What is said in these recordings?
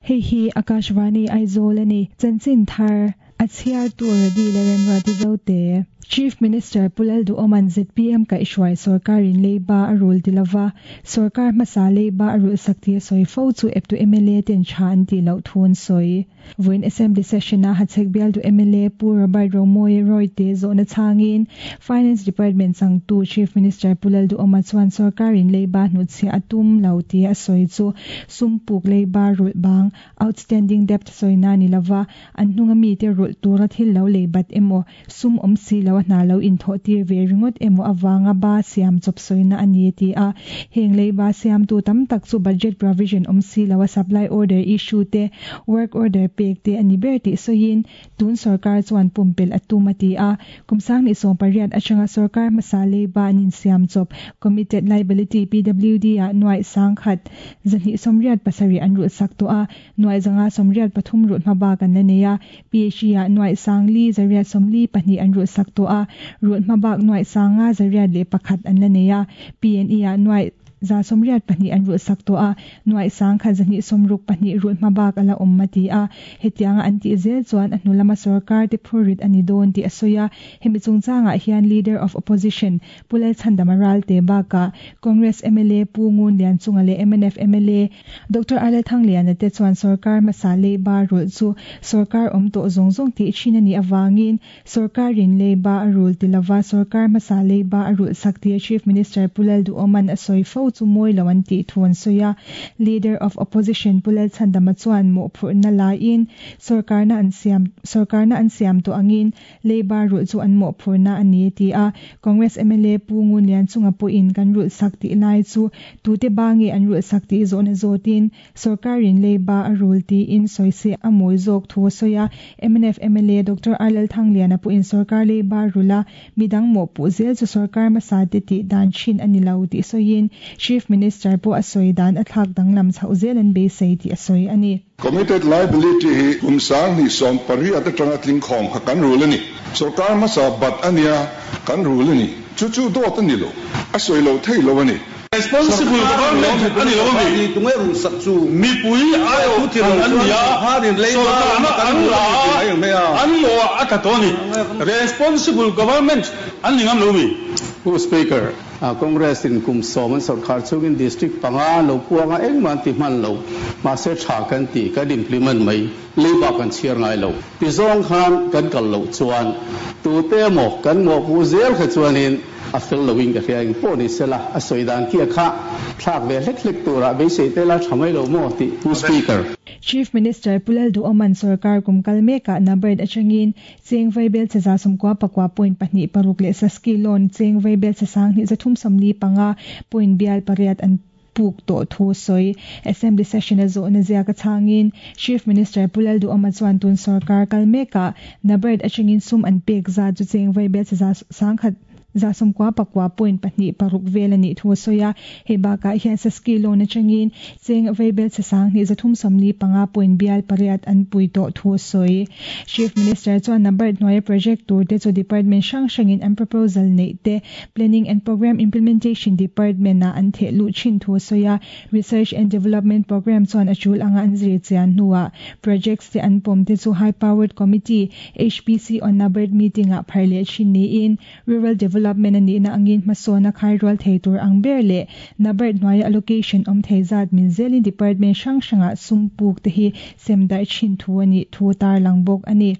Hei hi Akashvani Aizawl a ni. Chanchin thar a chhiartu Radi leh Remruati Zote. Chief Minister Pu Lalduhawma'n zpm kaihhruai sorkarin leiba a rul ti lova, sorkar hmasa leiba a rulhsak tih a sawi fo chu eptu mla ten tha an tih loh thu an sawi. Vawiin Assembly Session-a Hachhek bialtu mla Pu Robert Romawia Royte zawhna chhangin Finance Department changtu Chief Minister Pu Lalduhawma chuan sorkarin leiba hnutchhiah a tum lo tia a sawi chu sum puk leiba rulh bang, outstanding debt, sawina ni lova, an hnunga mite rulh tura thil lo lei bat emaw, sum awm si lo a hna lo inthawh tir ve ringawt emaw avanga ba siam chawp sawina a ni a ti a. Heng leiba siamtu tam tak chu budget provision awm si lo a supply order issue te, work order pek te a ni ber tih sawiin tun sorkar chuan pumpelh a tum a ti a. Kum 2018 atanga sorkar hmasa leiba an insiam chawp committed liability PWD ah nuaih 1,287 an rulhsak tawh a, nuaih 583 rulh hmabak an la nei a. PHE ah nuaih 4,842 an rulhsak tawh a, rulh hmabak nuaih 5,101 an la nei a. PNE ah nuaih 182 an rulhsak tawh a, nuaih 1,262 rulh hmabak a la awm a ti a. Hetianga an tih zel chuan a hnu lama sorkar te phurrit a ni dawn tih a sawi a. Hemi chungchangah hian Leader of Opposition Pu Lalchhandama Ralte bakah Congress mla Pu Ngun Lianchunga leh mnf mla Doctor Arlel Thangliana te chuan sorkar hmasa leiba rulh chu sorkar awm tawh zawng zawng tih thin a nih avangin sorkarin leiba a rul ti lova sorkar hmasa leiba a rulh sak tia Chief Minister Pu Lalduhawma'n a sawi fo chu mawi lo an tih thu an sawi a. Leader of Opposition Pu Lalchhandama chuan mawhphurhna laiin sorkarna an siam sorkarna an siam tawh angin Leiba rulh chu an mawhphurhna a ni, a ti a. Congress mla Pu Ngun Lianchunga pawhin kan rulh sak tih lai chu tute ba nge an rulh sak tih zawhna zawtin sorkarin leiba a rul tiin sawi se a mawi zawk thu a sawi a. Mnf mla Doctor R Lalthangliana pawhin sorkar leiba rulh a midang mawhpuh zel chu sorkar hmasa te tih dan thin a ni lo tih sawiin Chief Minister pawh a sawi dan a thlak danglam chhoh zel an beisei tih a sawi a ni. Committed liability hi kum 2018 atanga tling khawm kha kan rul a ni. Sorkar hmasa bat a nia, kan rul a ni. Chu chu dawt a ni lo, a sawi lo thei lo a ni. Responsible government a ni lo a mi? Mipui aiawh thlan an ni a, sorkarna an la a, an mawh a tla tawh a ni. Responsible government an ni ngam lo mi? Pu Speaker, Congress in kum sawm an sawrkhar chungin district panga lo puang a engmah an ti hman lo. Mahse tha kan ti, kan implement mai, leiba kan chhiar ngai lo. Ti zawng khan kan kal loh chuan tute emaw kan mawhpuh zel kha chuanin a fel loin ka hria. Engpawh ni sela a sawi dan khi a kha thlak ve hlek hlek turah beisei te la tha mai lo maw tih Pu Speaker. Chief Minister Pu Lalduhawma'n sorkar kum kal mekah NABARD atangin Cheng vaibel che 94 point 26 leh Saski loan cheng vaibel che 2345 point bial pariat an puk tawh thu sawi. Assembly session a zawhna ziak a chhangin Chief Minister Pu Lalduhawma chuan tun sorkar kal mekah NABARD atangin sum an pek zat chu cheng vaibel che 199 point 26 vel a nih thu a sawi a. Hei bakah hian Saski loan atangin cheng vaibel che 2345 point bial pariat an pui tawh thu a sawi. Chief Minister chuan NABARD hnuaia project tur te chu department hrang hrangin an proposal neih te Planning and Programme Implementation Department ah an theh luh thin thu a sawi a. Research and Development Programme chuan a tul anga an zir chian hnuah projects te an pawm te chu High Powered Committee, HPC, on NABARD meeting ah phar leh thin niin Rural Development a nihna angin hmasawn a khai rual thei tur ang ber leh NABARD hnuaia allocation awm thei zat min zelin department hrang hrangah sum puk te hi sem darh thin thu a nih thu tarlang bawk a ni.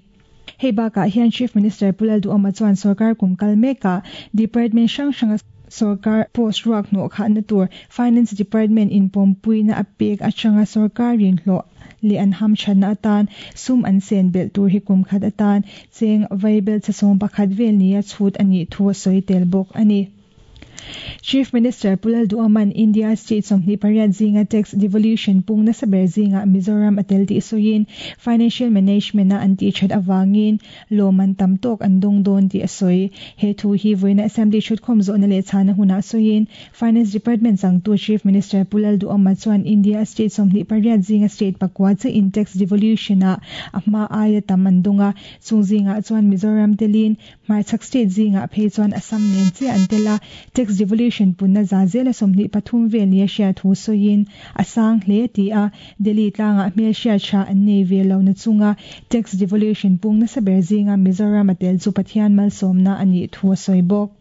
Hei bakah hian Chief Minister Pu Lalduhawma chuan sorkar kum kal mekah department hrang hranga sorkar post ruak hnawh khahna tur Finance Department in pawmpuina a pek atanga sorkarin hlawh leh an hamthatna atan sum an sen belh tur hi kum khat atan cheng vaibel che 11 vel nia chhut a nih thu a sawi tel bawk a ni. Chief Minister Pu Lalduhawma'n India state 28 zinga tax devolution pung nasa ber zingah Mizoram a tel tih sawiin financial management-a an tih that avangin lawm an tam tawk an dawng dawn tih a sawi. He thu hi vawiina Assembly thutkhawm zawhna leh chhana hunah sawiin Finance Department changtu Chief Minister Pu Lalduhawma chuan India state 28 zinga state pakua chiahin tax devolution-ah a hma aia tam an dawng a, chung zingah chuan Mizoram telin Hmarchhak state zingah phei chuan Assam nen chiah an tel a, tax devolution punna za zela 23 vel nia hriat thu sawiin a sang hle a ti a, Delhi tlangah hmelhriat tha an nei ve lo na chunga tax devolution pung nasa ber zinga Mizoram a tel chu Pathian malsawmna a nih thu a sawi bawk.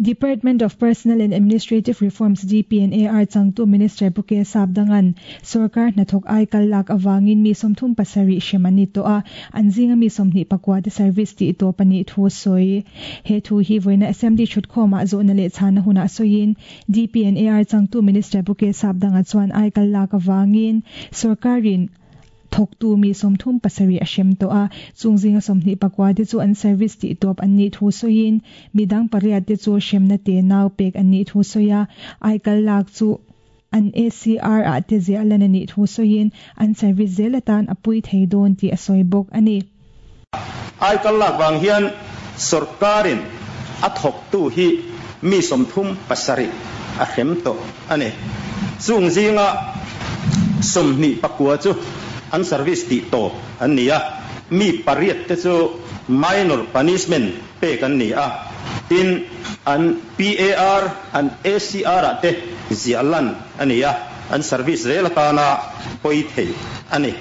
Department of Personnel and Administrative Reforms, DPNAR, changtu Minister Pu K Sapdanga'n sorkar hnathawk ai kal lak avangin mi 37 hrem an ni tawh a, an zinga mi 29 te service tih tawp a nih thu a sawi. He thu hi vawiina Assembly thutkhawmah zawhna leh chhana hunah sawiin DPNAR changtu Minister Pu K Sapdanga chuan ai kal lak avangin sorkarin thawktu mi 37 a hrem tawh a, chung zinga 29 te chu an service tih tawp an nih thu sawiin midang pariat te chu hremna te nau pek an nih thu sawi a, ai kal lak chu an ACR ah te ziah lan a nih thu sawiin an service zel atan a pui thei dawn tih a sawi bawk a ni. Ai kal lak vang hian sorkarin a thawktu hi mi 37 a hrem tawh a ni. Chung zinga 29 chu an service tih tawp an ni a, mi pariat te chu minor punishment pek an ni a, tin an PAR, an ACR ah te ziah lan a ni a, an service zel atana pawi thei a ni.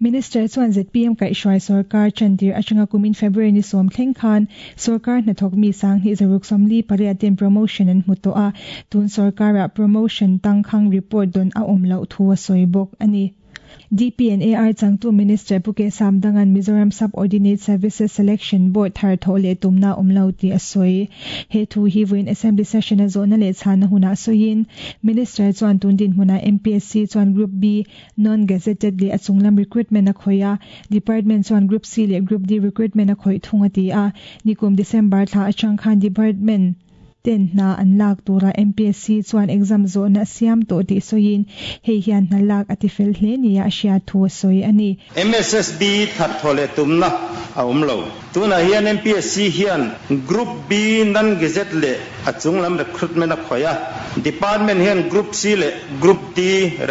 Minister chuan ZPM kaihhruai sorkar chantir atanga kumin February ni 10 thleng khan sorkar hnathawk mi 1648 ten promotion an hmu tawh a, tun sorkarah promotion tangkhang report don a awm loh thu a sawi bawk a ni. DPNAR changtu Minister Pu K Samdanga'n Mizoram Sub-Ordinate Services Selection Board thar thawh leh tumna awm lo tih a sawi. He thu hi vawiin Assembly session a zawhna leh chhana hunah sawiin Minister chuan tun dinhmunah MPSC chuan Group B non-gazetted leh a chunglam recruitment a khawih a, Department chuan Group C leh Group D recruitment a khawih thung a ti a. Nikum December thla atang khan Department ten hna an lak tura MPSC chuan exam zawhna a siam tawh tih sawiin hei hian hna lak a ti fel hle nia a hriat thu a sawi a ni. MSSB thar thaw leh tumna a awm lo. Tunah hian MPSC hian Group B non-gazette leh a chunglam recruitment a khawih a, Department hian Group C leh Group D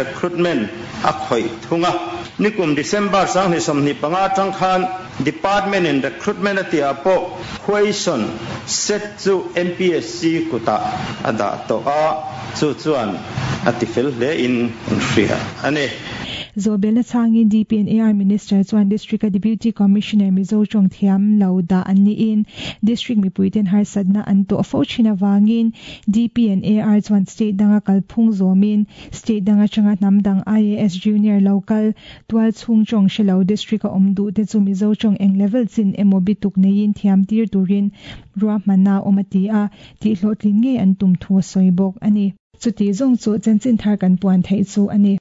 recruitment a khawih thung a. Nikum December 2025 atang khan Department in recruitment a tihah pawh question set chu MPSC kutah a dah tawh a, chu chuan a ti fel hle in an hria a ni. Zawhbelna changin DPNAR Minister chuan District a Deputy Commissioner Mizo tawng thiam lo dah an niin District mipuiten harsatna an tawh fo thin avangin DPNAR chuan state danga kalphung zawmin state dang atanga hnam dang IAS Junior local tual chhung tawng hrelo District a awm duh te chu Mizo tawng eng level chin emaw bituk neiin thiam tir turin ruahmanna awm a ti a, tih hlawhtlin nge an tum thu a sawi bawk a ni. Chuti zawng chu chanchin thar kan puan theih chu a ni.